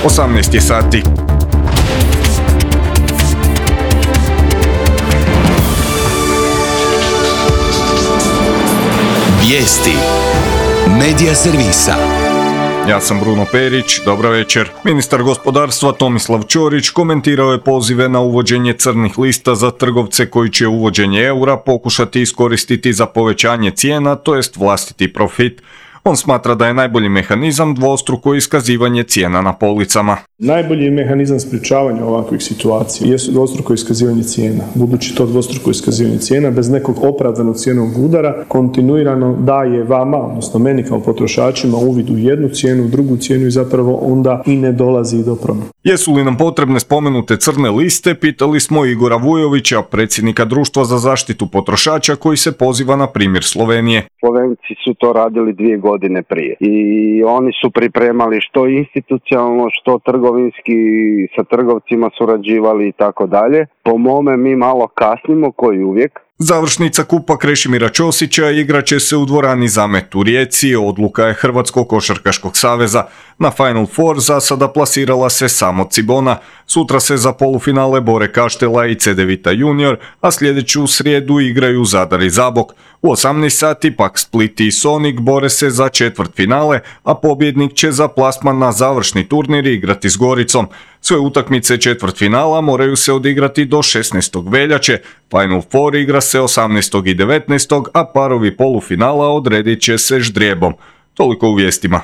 18 je sati. Vijesti Medija servisa. Ja sam Bruno Perić, dobra večer. Ministar gospodarstva Tomislav Ćorić komentirao je pozive na uvođenje crnih lista za trgovce koji će uvođenje eura pokušati iskoristiti za povećanje cijena, to jest vlastiti profit. On smatra da je najbolji mehanizam dvostruko iskazivanje cijena na policama. Najbolji mehanizam sprječavanja ovakvih situacija jesu dvostruko iskazivanje cijena. Budući to dvostruko iskazivanje cijena bez nekog opravdanog cijenovog udara kontinuirano daje vama, odnosno meni kao potrošačima, uvid u jednu cijenu, u drugu cijenu i zapravo onda i ne dolazi do promjene. Jesu li nam potrebne spomenute crne liste, pitali smo Igora Vujovića, predsjednika Društva za zaštitu potrošača, koji se poziva na primjer Slovenije. Slovenci su to radili 2 godine prije i oni su pripremali što institucionalno, što trgovinski, sa trgovcima surađivali i tako dalje. Po mome mi malo kasnimo, koji uvijek. Završnica kupa Krešimira Ćosića igraće se u dvorani Zamet u Rijeci, odluka je Hrvatskog košarkaškog saveza. Na Final Four za sada plasirala se samo Cibona. Sutra se za polufinale bore Kaštela i Cedevita Junior, a sljedeću srijedu igraju Zadar i Zabok. U 18 sati pak Split i Sonic bore se za četvrtfinale, a pobjednik će za plasman na završni turnir igrati s Goricom. Sve utakmice četvrtfinala moraju se odigrati do 16. veljače, Final Four igra se 18. i 19. a parovi polufinala odredit će se ždrijebom. Toliko u vijestima.